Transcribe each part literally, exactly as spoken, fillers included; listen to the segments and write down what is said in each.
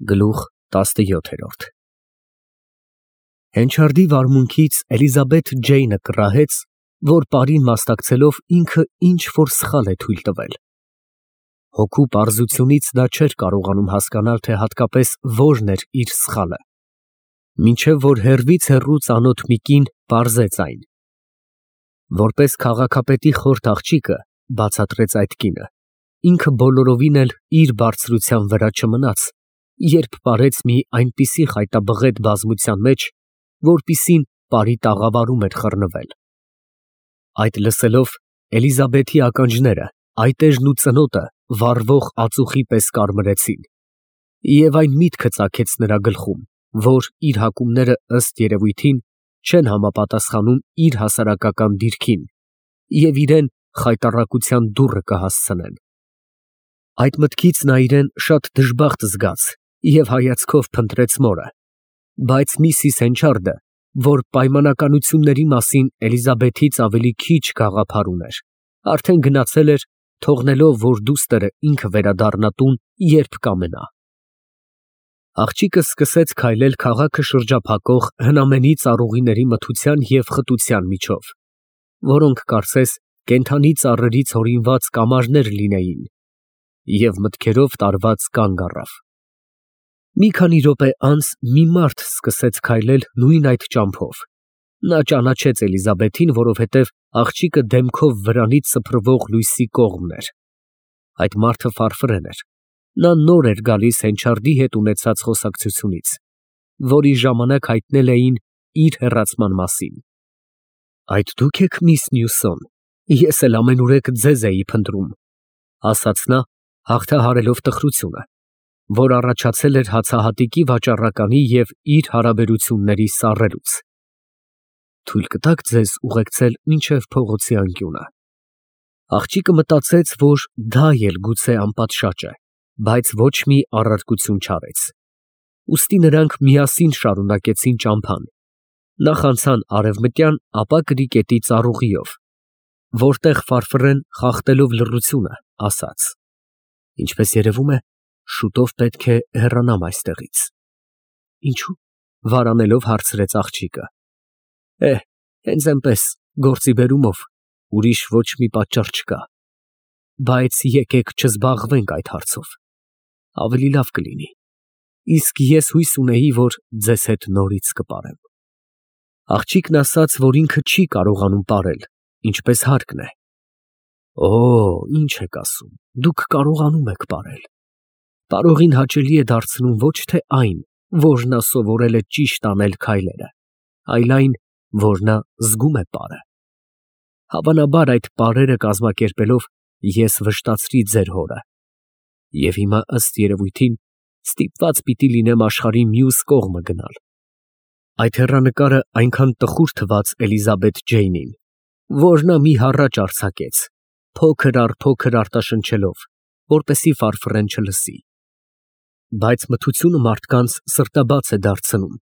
Գլուխ տասնյոթ Հենչարդի վարմունքից Էլիզաբեթ Ջեյնը կռահեց, որ պարին մասնակցելով ինքը ինչ֊որ սխալ է թույլ տվել։ Հոգու պարզությունից նա չէր կարողանում հասկանալ, թե հատկապես որն էր իր սխալը, մինչև որ հեռվից հեռու ծանոթ մի կին պարզեց այն։ Որպես քաղաքապետի խորթ աղջիկը, բացատրեց այդ կինը, ինքը բոլորովին էլ իր բարձրության վրա չմնաց, երբ պարեց մի այնպիսի խայտաբղետ բազմության մեջ, որպիսին պարի տաղավարում էր խռնվել։ Այդ լսելով, Էլիզաբեթի ականջները, այտեժն ու ծնոտը վառվող ածուխի պես կարմրեցին, և այն միտքը ծագեց նրա գլխում, որ իր հակումները ըստ երևույթին չեն համապատասխանում իր հասարակական դիրքին և իրան խայտառակության դուռը կհասցնեն։ Այդ մտքից նա իրան շատ դժբախտ զգաց և հայացքով փնտրեց մորը, բայց միսիս Հենչարդը, որ պայմանականությունների մասին Էլիզաբեթից ավելի քիչ գաղափար ուներ, արդեն գնացել էր, թողնելով, որ դուստր ինքը վերադառնա տուն, երբ կամենա։ Աղջիկը սկսեց քայլել քաղաքը շրջափակող հնամենի ծառուղիների մթության և խտության միջով, որոնք կարծես կենդանի ծառերից հորինված կամարներ լինեին, և մտքերով տարված կանգ առավ։ Մի քանի րոպե անց մի մարդ սկսեց քայլել նույն այդ ճամփով։ Նա ճանաչեց Էլիզաբեթին, որովհետև աղջիկը դեմքով վրանից սփռվող լույսի կողմն էր։ Այդ մարդը ֆարֆրեն էր։ Նա նոր էր գալիս Հենչարդի հետ ունեցած խոսակցությունից, որի ժամանակ հայտնել էին իր հեռացման մասին։ Այդ դու՞ք եք, միս Նյուսոն, ես էլ ամենուրեք ձեզ էի փնտրում, ասաց նա, հաղթահարելով տխրությունը, որ առաջացել էր հացահատիկի վաճառականի և իր հարաբերությունների սառերուց։ Թույլ կտաք ձեզ ուղեկցել մինչև փողոցի անկյունը։ Աղջիկը մտածեց, որ դա էլ գուցե անպատշաճ է, բայց ոչ մի առարկություն չարեց։ Ուստի նրանք միասին շարունակեցին ճամփան, նախ անցան արևմտյան, ապա կրիկետի ծառուղիով, որտեղ ֆարֆռեն, խախտելով լռությունը, ասաց. Ինչպես երևում է, շուտով պետք է հեռանամ այստեղից։ Ինչո՞ւ, վարանելով հարցրեց աղջիկը։ Է, հենց այնպես, գործի բերումով, ուրիշ ոչ մի պատճառ չկա։ Բայց եկեք չզբաղվենք այդ հարցով, ավելի լավ կլինի, իսկ ես հույս ունեի, որ ձեզ հետ նորից կպարեմ։ Աղջիկն ասաց, որ ինքը չի կարողանում պարել, ինչպես հարկն է։ Օ, ինչ եք ասում, դուք կարողանում եք պարել։ Պարողին հաճելի է դարձնում ոչ թե այն, որ նա սովորել է ճիշտ անել քայլերը, այլ այն, որ նա զգում է պարը։ Հավանաբար այդ պարերը կազմակերպելով ես վշտացրի ձեր հորը, և հիմա ըստ երևույթին ստիպված պիտի լինեմ աշխարհի մյուս կողմը գնալ։ Այդ հեռանկարը այնքան տխուր թվաց Էլիզաբեթ Ջեյնին, որ նա մի հառաչ արձակեց, փոքր առ փոքր արտաշնչելով, որպեսզի ֆարֆռեն չլսի։ Բայց մթությունը մարդկանց սրտաբաց է դարձնում,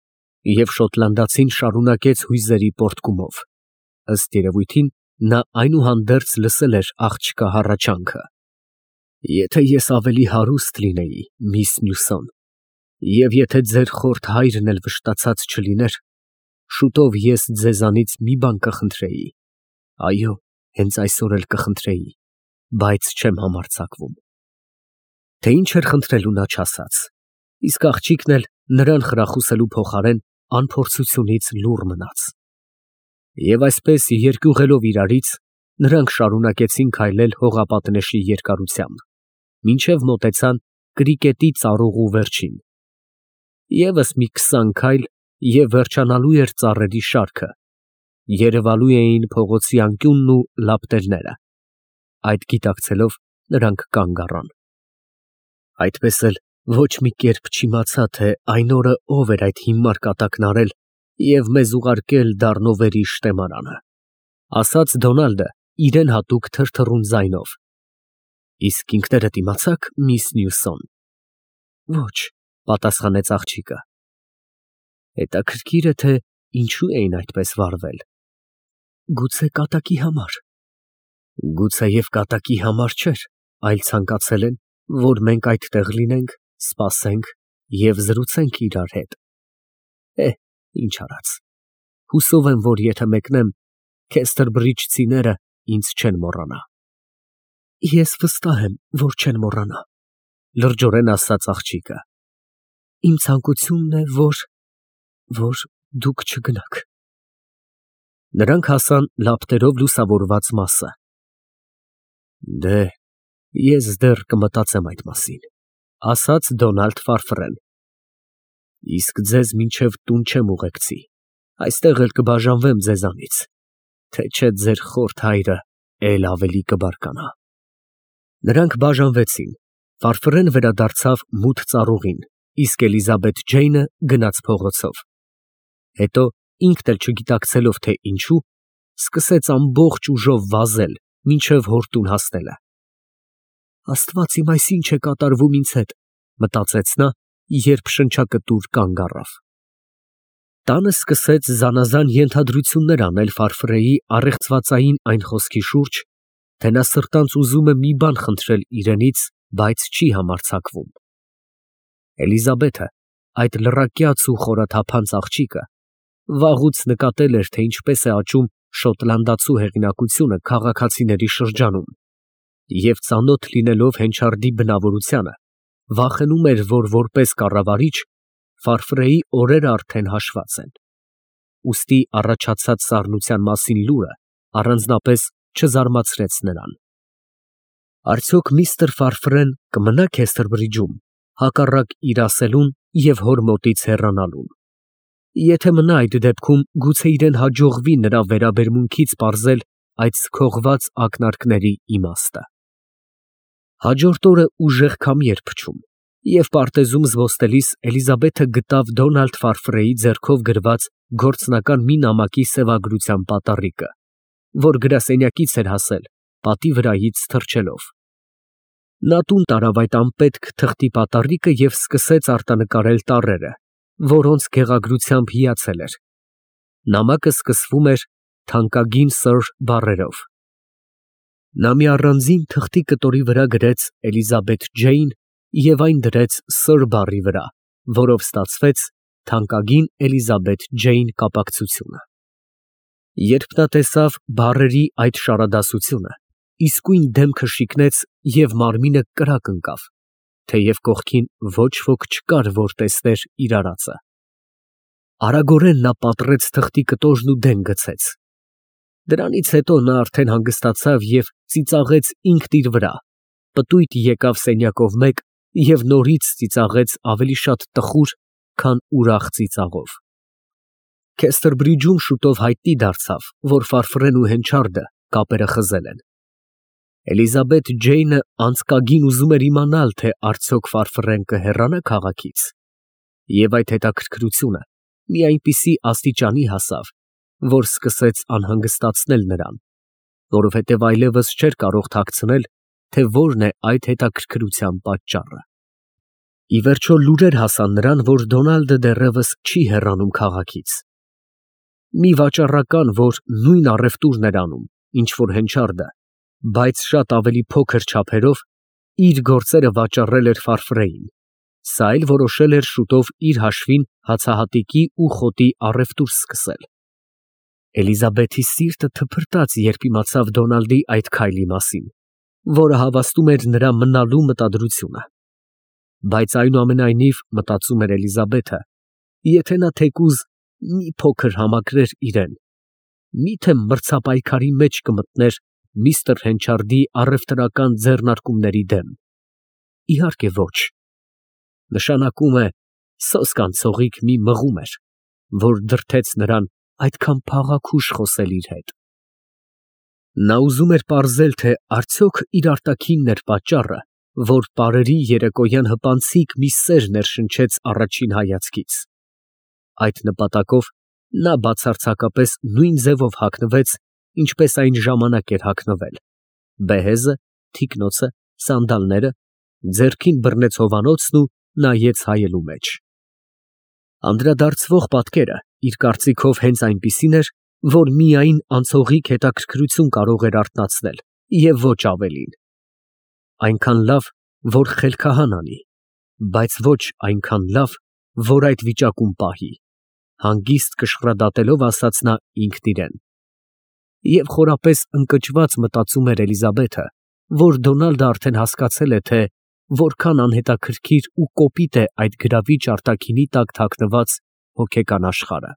և շոտլանդացին շարունակեց հույզերի պոռթկումով։ Ըստ երևույթին, նա այնուհանդերձ լսել էր աղջկա հառաչանքը. Եթե ես ավելի հարուստ լինեի, միս Նյուսոն, և եթե ձեր խորթ հայրն էլ վշտացած չլիներ, շուտով ես ձեզանից մի բան կխնդրեի, այո, հենց այսօր էլ կխնդրեի, բայց չեմ համարձակվում։ Թե ինչ էր խնդրելու նա չասաց, իսկ աղջիկն էլ նրան խրախուսելու փոխարեն անփորձությունից լուռ մնաց։ Եվ այսպես երկյուղելով իրարից, նրանք շարունակեցին քայլել հողապատնեշի երկարությամբ, մինչև մոտեցան կրիկետի ծառուղու վերջին։ Եվս մի քսան քայլ, և վերջանալու էր ծառերի շարքը, երևալու էին փողոցի անկյունն ու լապտերները։ Այդ գիտակցելով, նրանք կանգ առան։ Այդպես էլ ոչ մի կերպ չիմացա, թե այն օրը ով էր այդ հիմար կատակն արել և մեզ ուղարկել Դառնովերի շտեմարանը, ասաց Դոնալդը իրան հատուկ թրթռուն ձայնով։ Իսկ ինքներդ իմացա՞ք, միս Նյուսոն։ Ոչ, պատասխանեց աղջիկը։ Հետաքրքիր է, թե ինչու էին այդպես վարվել։ Գուցե կատակի համար։ Գուցեև կատակի համար չէր, այլ ցանկացել են, որ մենք այդտեղ լինենք, սպասենք և զրուցենք իրար հետ։ Է, ինչ արած, հուսով եմ, որ եթե մեկնեմ, քեստերբրիջցիները ինձ չեն մոռանա։ Ես վստահ եմ, որ չեն մոռանա, լրջորեն ասաց աղջիկը։ Իմ ցանկությունն է, որ, որ դուք չգնաք։ Նրանք հասան լապտերով լուսավորված մասը։ Դե, ես դեռ կմտածեմ այդ մասին, ասաց Դոնալդ Ֆարֆրեն։ Իսկ ձեզ մինչև տուն չեմ ուղեկցի, այստեղ էլ կբաժանվեմ ձեզանից, թե չէ ձեր խորթ հայրը էլ ավելի կբարկանա։ Նրանք բաժանվեցին, Ֆարֆրեն վերադարձավ մութ ծառուղին, իսկ Էլիզաբեթ Ջեյնը գնաց փողոցով։ Հետո, ինքն էլ չգիտակցելով, թե ինչու, սկսեց ամբողջ ուժով վազել, մինչև հոր տուն հասնելը։ Աստված իմ, այս ինչ է կատարվում ինձ հետ, մտածեց նա, երբ շնչակտուր կանգ առավ։ Տանը սկսեց զանազան ենթադրություններ անել Ֆարֆրեի առեղծվածային այն խոսքի շուրջ, թե նա սրտանց ուզում է մի բան խնդրել իրենից, բայց չի համարձակվում։ Էլիզաբեթը, այդ լռակյաց ու խորաթափանց աղջիկը, վաղուց նկատել էր, թե ինչպես է աճում շոտլանդացու հեղինակությունը քաղաքացիների շրջանում, և ծանոթ լինելով Հենչարդի բնավորությանը, վախենում էր, որ որպես կառավարիչ Ֆարֆրեի օրերը արդեն հաշված են։ Ուստի առաջացած սառնության մասին լուրը առանձնապես չզարմացրեց նրան։ Արդյոք միստր Ֆարֆրեն կմնա Քեստերբրիջում, հակառակ իր ասելուն և հոր մոտից հեռանալուն։ Եթե մնա, այդ դեպքում գուցե իրան հաջողվի նրա վերաբերմունքից պարզել այդ սքողված ակնարկների իմաստը։ Հաջորդ օրը ուժեղ քամի էր փչում, և պարտեզում զբոսնելիս Էլիզաբեթը գտավ Դոնալդ Ֆարֆրեի ձեռքով գրված գործնական մի նամակի սևագրության պատառիկը, որ գրասենյակից էր հասել, պատի վրայից թռչելով։ Նա տուն տարավ այդ անպետք թղթի պատառիկը և սկսեց արտանկարել տառերը, որոնց գեղագրությամբ հիացել էր։ Նամակը սկսվում էր թանկագին սըր բառերով։ Նա մի առանձին թղթի կտորի վրա գրեց Էլիզաբեթ Ջեյն և այն դրեց սըր բառի վրա, որով ստացվեց թանկագին Էլիզաբեթ Ջեյն կապակցությունը։ Երբ նա տեսավ բառերի այդ շարադասությունը, իսկույն դեմքը շիկնեց և մարմինը կրակ ընկավ, թեև կողքին ոչ ոք չկար, որ տեսներ իր արածը։ Արագորեն նա պատռեց թղթի կտորն ու դեն գցեց։ Դրանից հետո նա արդեն հանգստացավ և ծիծաղեց ինքն իր վրա, պտույտ եկավ սենյակով մեկ և նորից ծիծաղեց ավելի շատ տխուր, քան ուրախ ծիծաղով։ Քեստերբրիջում շուտով հայտնի դարձավ, որ Ֆարֆրեն ու Հենչարդը կապերը խզել են։ Էլիզաբեթ Ջեյնը անձկագին ուզում էր իմանալ, թե արդյոք Ֆարֆրեն կհեռանա քաղաքից, և այդ հետաքրքրությունը մի այնպիսի աստիճանի հասավ, որ սկսեց անհանգստացնել նրան, որովհետև այլևս չէր կարող թաքցնել, թե որն է այդ հետաքրքրության պատճառը։ Ի վերջո լուրեր հասան նրան, որ Դոնալդը դեռևս չի հեռանում քաղաքից։ Մի վաճառական, որ նույն առևտուրն էր անում, ինչ որ Հենչարդը, բայց շատ ավելի փոքր չափերով, իր գործերը վաճառել էր Ֆարֆրեին, սա էլ որոշել էր շուտով իր հաշվին հացահատիկի ու խոտի առևտուր սկսել։ Էլիզաբեթի սիրտը թփրտաց, երբ իմացավ Դոնալդի այդ քայլի մասին, որը հավաստում էր նրա մնալու մտադրությունը։ Բայց այնուամենայնիվ, մտածում էր Էլիզաբեթը, եթե նա թեկուզ մի փոքր համակրեր իրեն, միթե մրցապայքարի մեջ կմտներ միստր Հենչարդի առևտրական ձեռնարկումների դեմ։ Իհարկե ոչ։ Նշանակում է սոսկ անցողիկ մի մղում էր, որ դրդեց նրան այդքան փաղաքուշ խոսել իր հետ։ Նա ուզում էր պարզել, թե արդյոք իր արտաքինն էր պատճառը, որ պարերի երեկոյան հպանցիկ մի սեր ներշնչեց առաջին հայացքից։ Այդ նպատակով նա բացարձակապես նույն ձևով հագնվեց, ինչպես այն ժամանակ էր հագնվել, բեհեզը, թիկնոցը, սանդալները, ձեռքին բռնեց հովանոցն ու նայեց հայելու մեջ։ Անդրադարձվող պատկերը իր կարծիքով հենց այնպիսին էր, որ միայն անցողիկ հետաքրքրություն կարող էր արթնացնել և ոչ ավելին։ Այնքան լավ, որ խելքահան անի, բայց ոչ այնքան լավ, որ այդ վիճակում պահի, հանգիստ կշռադատելով ասաց նա ինքն իրան։ Եվ խորապես ընկճված մտածում էր Էլիզաբեթը, որ Դոնալդը արդեն հասկացել է, թե որքան անհետաքրքիր ու կոպիտ է այդ գրավիչ արտաքինի տակ թաքնված հոգեկան աշխարհը։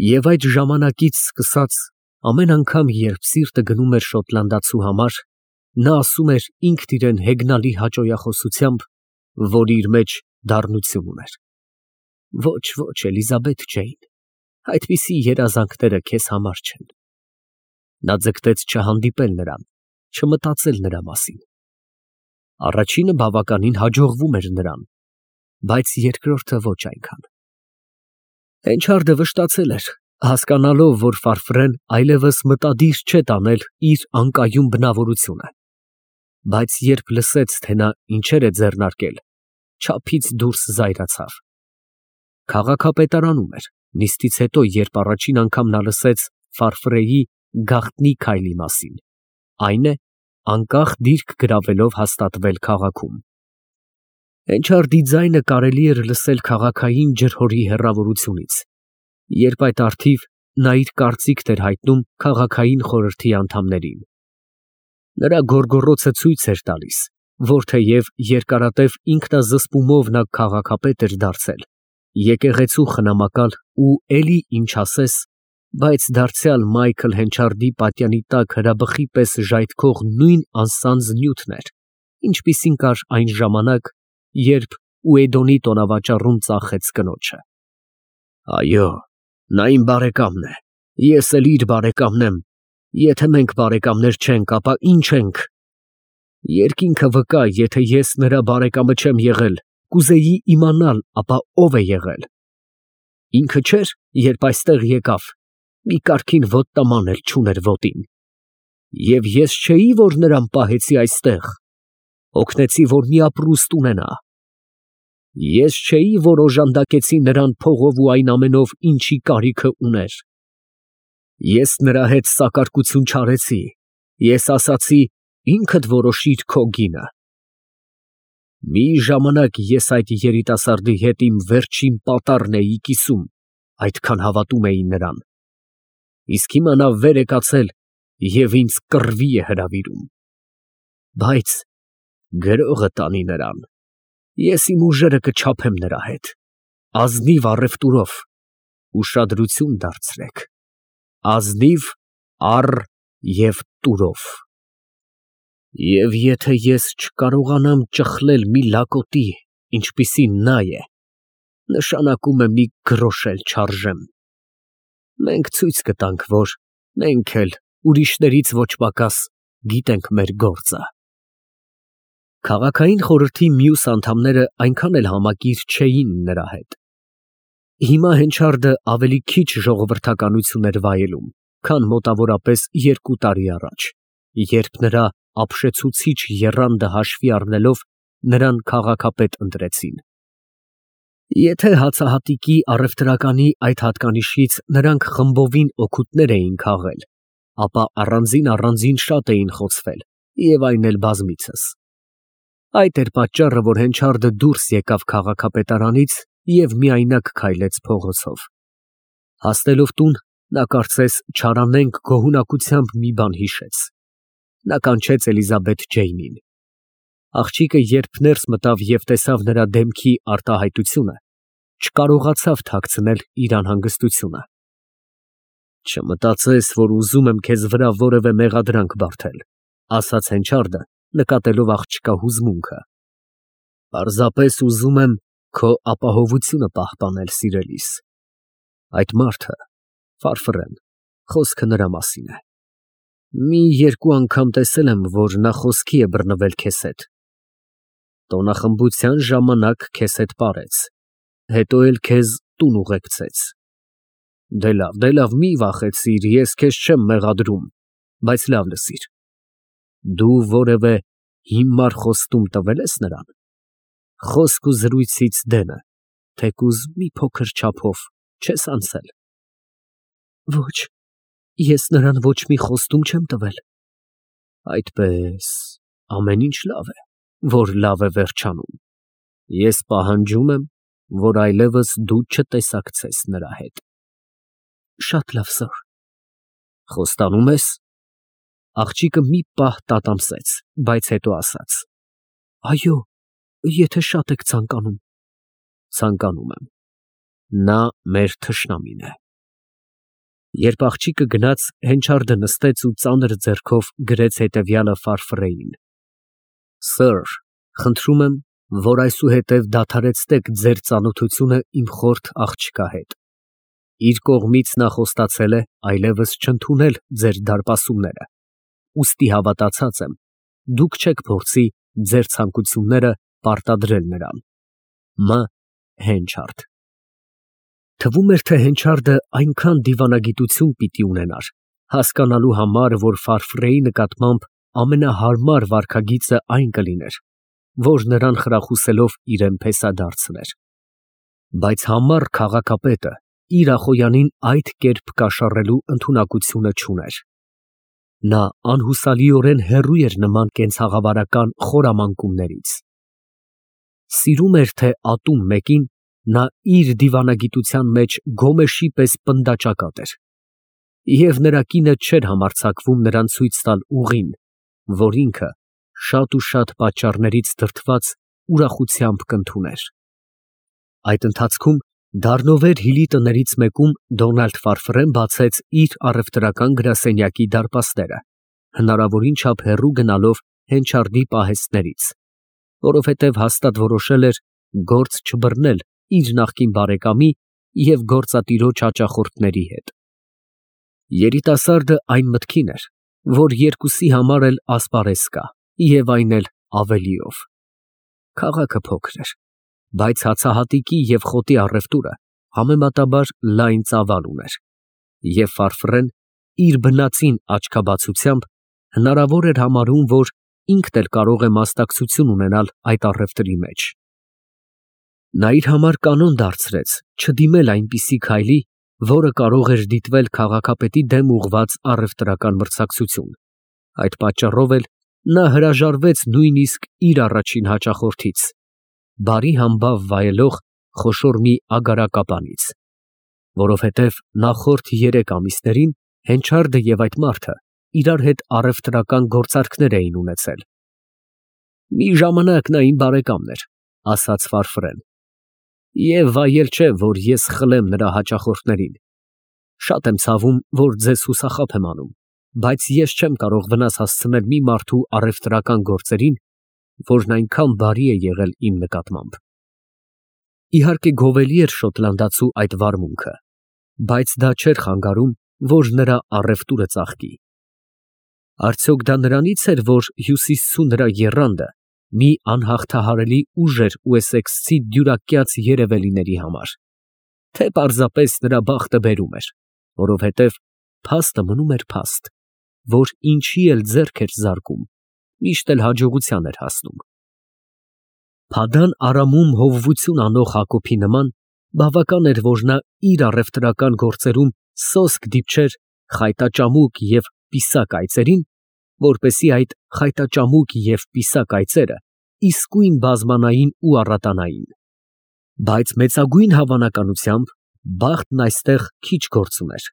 Եվ այդ ժամանակից սկսած ամեն անգամ, երբ սիրտը գնում էր շոտլանդացու համար, նա ասում էր ինքն իրեն հեգնալի հաճոյախոսությամբ, որ իր մեջ դառնություն ուներ. Ոչ, ոչ, Էլիզաբեթ Ջեյն, այդպիսի երազանքները քեզ համար չեն։ Նա ձգտեց չհանդիպել նրան, չմտածել նրա մասին։ Առաջինը բավականին հաջողվում էր նրան, բայց երկրորդը ոչ այնքան։ Հենչարդը վշտացել էր, հասկանալով, որ Ֆարֆրեն այլևս մտադիր չէ տանել իր անկայուն բնավորությունը, բայց երբ լսեց, թե նա ինչեր է ձեռնարկել, չափից դուրս զայրացավ։ Քաղաքապետարանում էր, նիստից հետո, երբ առաջին անգամ նա լսեց Ֆարֆրեի գաղտնի քայլի մասին, այն է, անկախ դիրք գրավելով հաստատվել քաղաքում։ Հենչարդի ձայնը կարելի էր լսել քաղաքային ջրհորի հեռավորությունից, երբ այդ առթիվ նա իր կարծիքն էր հայտնում քաղաքային խորհրդի անդամներին։ Նրա գոռգոռոցը ցույց էր տալիս, որ թեև երկարատև ինքնազսպումով նա քաղաքապետ էր դարձել, եկեղեցու խնամակալ ու էլի ինչ ասես, բայց դարձյալ Մայքլ Հենչարդի պատյանի տակ հրաբխի պես ժայթքող նույն անսանձ նյութն էր, ինչպիսին կար այն ժամանակ, երբ Ուեյդոնի տոնավաճառում ծախեց կնոջը։ Այո, նա իմ բարեկամն է, ես էլ իր բարեկամն եմ, եթե մենք բարեկամներ չենք, ապա ինչ ենք։ Երկինքը վկա, եթե ես նրա բարեկամը չեմ եղել, կուզեի իմանալ, ապա ով է եղել։ Ինքը չէր, երբ այստեղ եկավ, մի կարգին ոտնաման էլ չուներ ոտին։ Եվ ես չէի, որ նրան պահեցի այստեղ, օգնեցի, որ մի ապրուստ ունենա։ Ես չէի, որ օժանդակեցի նրան փողով ու այն ամենով, ինչի կարիքը ուներ։ Ես նրա հետ սակարկություն չարեցի, ես ասացի, ինքդ որոշիր քո գինը։ Մի ժամանակ ես այդ երիտասարդի հետ իմ վերջին պատառն էի կիսում, այդքան հավատում էի նրան։ Իսկ հիմա նա վեր է կացել և ինձ կռվի է հրավիրում։ Բայց գրողը տանի նրան, ես իմ ուժերը կչափեմ նրա հետ, ազնիվ առևտուրով, ուշադրություն դարձրեք, ազնիվ առ և տուրով։ Եվ եթե ես չկարողանամ ճխլել մի լակոտի, ինչպիսին նա է, նշանակում է մի գրոշ էլ չարժեմ։ Մենք ցույց կտանք, որ մենք էլ ուրիշներից ոչ պակաս գիտենք մեր գործը։ Քաղաքային խորհրդի մյուս անդամները այնքան էլ համակիր չէին նրա հետ։ Հիմա Հենչարդը ավելի քիչ ժողովրդականություն էր վայելում, քան մոտավորապես երկու տարի առաջ, երբ նրա ապշեցուցիչ եռանդը հաշվի առնելով նրան քաղաքապետ ընտրեցին։ Եթե հացահատիկի առևտրականի այդ հատկանիշից նրանք խմբովին օգուտներ էին քաղել, ապա առանձին-առանձին շատ էին խոցվել, և այն էլ բազմիցս։ Այդ էր պատճառը, որ Հենչարդը դուրս եկավ քաղաքապետարանից և միայնակ քայլեց փողոցով։ Հասնելով տուն, նա կարծես չարանենգ գոհունակությամբ մի բան հիշեց։ Նա կանչեց Էլիզաբեթ Ջեյնին։ Աղջիկը երբ ներս մտավ և տեսավ նրա դեմքի արտահայտությունը, չկարողացավ թաքցնել իր անհանգստությունը։ Չմտածես, որ ուզում եմ քեզ վրա որևէ մեղադրանք բարդել, ասաց Հենչարդը, նկատելով աղջկա հուզմունքը։ Պարզապես ուզում եմ քո ապահովությունը պահպանել, սիրելիս։ Այդ մարդը, Ֆարֆրեն, խոսքը նրա մասին է։ Մի երկու անգամ տեսել եմ, որ նա խոսքի է բռնվել քեզ հետ։ Տոնախմբության ժամանակ քեզ հետ պարեց, հետո էլ քեզ տուն ուղեկցեց։ Դե լավ, դե լավ, մի վախեցիր, ես քեզ չեմ մեղադրում, բայց լավ լսիր։ Դու որևէ հիմար խոստում տվե՞լ ես նրան։ Խոսք ու զրույցից դենը, թեկուզ մի փոքր չափով չես անցել։ Ոչ, ես նրան ոչ մի խոստում չեմ տվել։ Այդպես, ամեն ինչ լավ է, որ լավ է վերջանում։ Ես պահանջում եմ, որ այլևս դու չտեսակցես նրա հետ։ Շատ լավ, սըր։ Խոստանո՞ւմ ես։ Աղջիկը մի պահ տատամսեց, բայց հետո ասաց. Այո, եթե շատ եք ցանկանում։ Ցանկանում եմ։ Նա մեր թշնամին է։ Երբ աղջիկը գնաց, Հենչարդը նստեց ու ծանր ձեռքով գրեց հետևյալը Ֆարֆրեին. Սըր, խնդրում եմ, որ այսուհետև դադարեցնեք ձեր ծանոթությունը իմ խորթ աղջկա հետ։ Իր կողմից նա խոստացել է այլևս չընդունել ձեր դարպասումները, ուստի հավատացած եմ, դուք չեք փորձի ձեր ցանկությունները պարտադրել նրան։ Մ. Հենչարդ։ Թվում էր, թե Հենչարդը այնքան դիվանագիտություն պիտի ունենար, հասկանալու համար, որ Ֆարֆրեի նկատմամբ ամենահարմար վարքագիծը այն կլիներ, որ նրան խրախուսելով իրեն փեսադարձներ։ Բայց համառ քաղաքապետը իր Ախոյանին այդ կերպ կաշառելու ընդունակությունը չուներ։ Նա անհուսալիորեն հեռու էր նման կենցաղավարական խորամանկումներից։ Սիրում էր, թե ատում մեկին նա իր դիվանագիտության մեջ գոմեշի պես պնդաճակատ էր, և նրա կինը չէր համարձակվում նրան ցույց տալ ուղին, որ ինքը շատ ու շատ պատճառներից դրդված ուրախությամբ կընդուներ։ Այդ ընթացքում Դառնովեր հիլի տներից մեկում Դոնալդ Ֆարֆրեն բացեց իր առևտրական գրասենյակի դարպասները, հնարավորին չափ հեռու գնալով Հենչարդի պահեստներից, որովհետև հաստատ որոշել էր գործ չբռնել իր նախկին բարեկամի և գործատիրոջ հաճախորդների հետ։ Երիտասարդը այն մտքին էր, որ երկուսի համար էլ ասպարեզ կա, և այն էլ ավելիով։ Քաղաքը փոքր էր, բայց հացահատիկի և խոտի առևտուրը համեմատաբար լայն ծավալ ուներ, և Ֆարֆրեն իր բնածին աչքաբացությամբ հնարավոր էր համարում, որ ինքն էլ կարող է մասնակցություն ունենալ այդ առևտրի մեջ։ Նա իր համար կանոն դարձրեց չդիմել այնպիսի քայլի, որը կարող էր դիտվել քաղաքապետի դեմ ուղղված առևտրական մրցակցություն։ Այդ պատճառով էլ նա հրաժարվեց նույնիսկ իր առաջին հաճախորդից, բարի համբավ վայելող խոշոր մի ագարակապանից, որովհետև նախորդ երեք ամիսներին Հենչարդը և այդ մարդը իրար հետ առևտրական գործարքներ էին ունեցել։ Մի ժամանակ նա իմ բարեկամն էր, ասաց Ֆարֆրեն, և վայել չէ, որ ես խլեմ նրա հաճախորդներին։ Շատ եմ ցավում, որ ձեզ հուսախաբ եմ անում, բայց ես չեմ կարող վնաս հասցնել մի մարդու առևտրական գործերին, որն այնքան բարի է եղել իմ նկատմամբ։ Իհարկե գովելի էր շոտլանդացու այդ վարմունքը, բայց դա չէր խանգարում, որ նրա առևտուրը ծաղկի։ Արդյոք դա նրանից էր, որ հյուսիսցու նրա եռանդը մի անհաղթահարելի ուժ էր ուեսեքսցի դյուրակյաց երևելիների համար, թե պարզապես նրա բախտը բերում էր, որովհետև փաստը մնում էր փաստ, որ ինչի էլ ձեռք էր զարկում, միշտ էլ հաջողության էր հասնում։ Փադան Արամում հովվություն անող Հակոբի նման բավական էր, որ նա իր առևտրական գործերում սոսկ դիպչեր խայտաճամուկ և պիսակ այծերին, որպեսզի այդ խայտաճամուկ և պիսակ այծերը իսկույն բազմանային ու առատանային։ Բայց մեծագույն հավանականությամբ բախտն այստեղ քիչ գործ ուներ։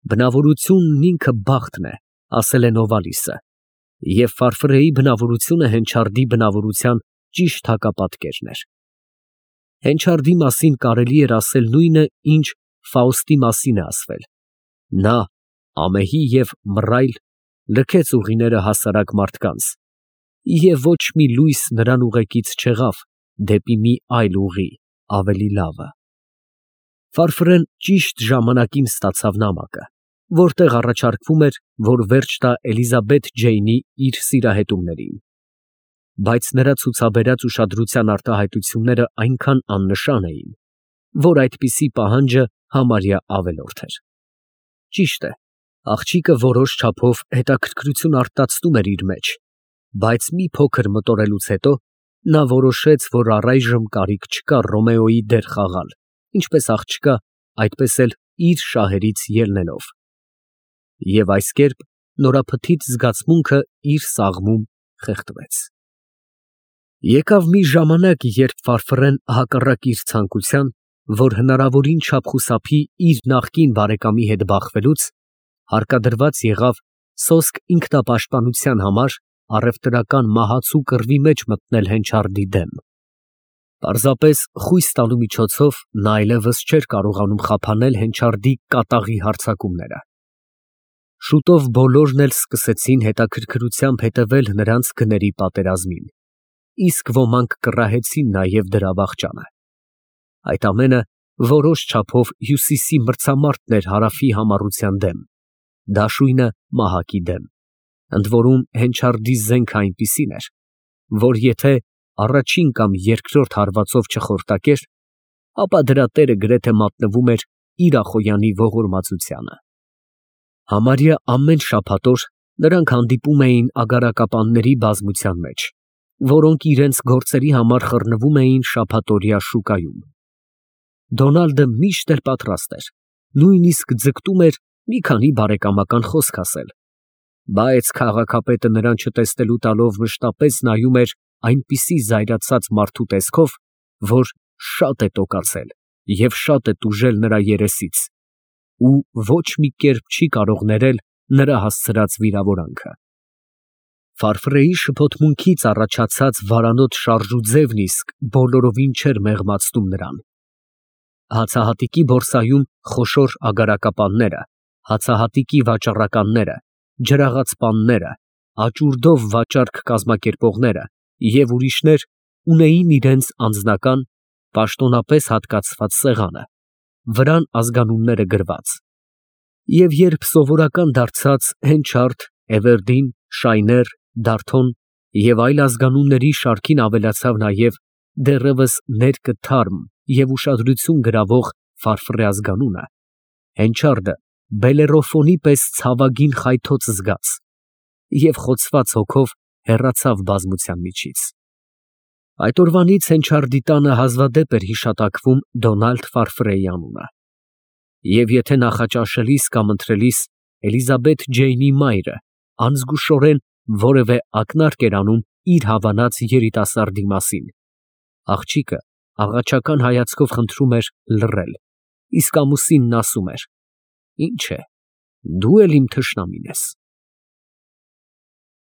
Բնավորությունն ինքը բախտն է, ասել է Նովալիսը, և Ֆարֆրեի բնավորությունը Հենչարդի բնավորության ճիշտ հակապատկերն էր։ Հենչարդի մասին կարելի էր ասել նույնը, ինչ Ֆաուստի մասին է ասվել. նա, ամեհի և մռայլ, լքեց ուղիները հասարակ մարդկանց, և ոչ մի լույս նրան ուղեկից չեղավ դեպի մի այլ ուղի, ավելի լավը։ Ֆարֆրեն ճիշտ ժամանակին ստացավ նամակը, որտեղ առաջարկվում էր, որ վերջ տա Էլիզաբեթ Ջեյնի իր սիրահետումներին, բայց նրա ցուցաբերած ուշադրության արտահայտությունները այնքան աննշան էին, որ այդպիսի պահանջը համարյա ավելորդ էր։ Ճիշտ է, աղջիկը որոշ չափով հետաքրքրություն արտացնում էր իր մեջ, բայց մի փոքր մտորելուց հետո նա որոշեց, որ առայժմ կարիք չկա Ռոմեոյի դեր խաղալ, ինչպես աղջկա, այդպես էլ իր շահերից ելնելով։ Եվ այս կերպ նորափթիթ զգացմունքը իր սաղմում խեղդվեց։ Եկավ մի ժամանակ, երբ Ֆարֆռեն հակառակ իր ցանկության, որ հնարավորին չափ խուսափի իր նախկին բարեկամի հետ բախվելուց, հարկադրված եղավ սոսկ ինքնապաշտպանության համար առևտրական մահացու կռվի մեջ մտնել Հենչարդի դեմ։ Պարզապես խույս տալու միջոցով նա այլևս չէր կարողանում խափանել Հենչարդի կատաղի հարձակումները։ Շուտով բոլորն էլ սկսեցին հետաքրքրությամբ հետևել նրանց գների պատերազմին, իսկ ոմանք կռահեցին նաև դրա վախճանը։ Այդ ամենը որոշ չափով Հյուսիսի մրցամարտն էր Հարավի համառության դեմ, դաշույնը մահակի դեմ, ընդ որում Հենչարդի զենքը այնպիսին էր, որ եթե առաջին կամ երկրորդ հարվածով չխորտակեր, ապա դրա տերը գրեթե մատնվում էր իր Ախոյանի ողորմածությանը։ Համարյա ամեն շաբաթ օր նրանք հանդիպում էին ագարակապանների բազմության մեջ, որոնք իրենց գործերի համար խռնվում էին շաբաթօրյա շուկայում։ Դոնալդը միշտ էր պատրաստ էր, նույնիսկ ձգտում էր մի քանի բարեկամական խոսք ասել, բայց քաղաքապետը նրան չտեսնելու տալով մշտապես նայում էր այնպիսի զայրացած մարդու տեսքով, որ շատ է տոկացել և շատ է տուժել նրա երեսից, ու ոչ մի կերպ չի կարող ներել նրա հասցրած վիրավորանքը։ Ֆարֆրեի շփոթմունքից առաջացած վարանոտ շարժուձևն իսկ բոլորովին չէր մեղմացնում նրան։ Հացահատիկի բորսայում խոշոր ագարակապանները, հացահատիկի վաճառականները, ջրաղացպանները, աճուրդով վաճառք կազմակերպողները և ուրիշներ ունեին իրենց անձնական, պաշտոնապես հատկացված սեղանը, վրան ազգանունները գրված, և երբ սովորական դարձած Հենչարդ, Էվերդին, Շայներ, Դարթոն և այլ ազգանունների շարքին ավելացավ նաև դեռևս ներկը թարմ և ուշադրություն գրավող Ֆարֆռե ազգանունը, Հենչարդը Բելլերոֆոնի պես ցավագին խայթոց զգաց և խոցված հոգով հեռացավ բազմության միջից։ Այդ օրվանից Հենչարդի տանը հազվադեպ էր հիշատակվում Դոնալդ Ֆարֆրեի անունը, և եթե նախաճաշելիս կամ ընթրելիս Էլիզաբեթ Ջեյնի մայրը անզգուշորեն որևէ ակնարկ էր անում իր հավանած երիտասարդի մասին, աղջիկը աղաչական հայացքով խնդրում էր լռել, իսկ ամուսինն ասում էր. «Ինչ է, դու էլ իմ թշնամին ես»։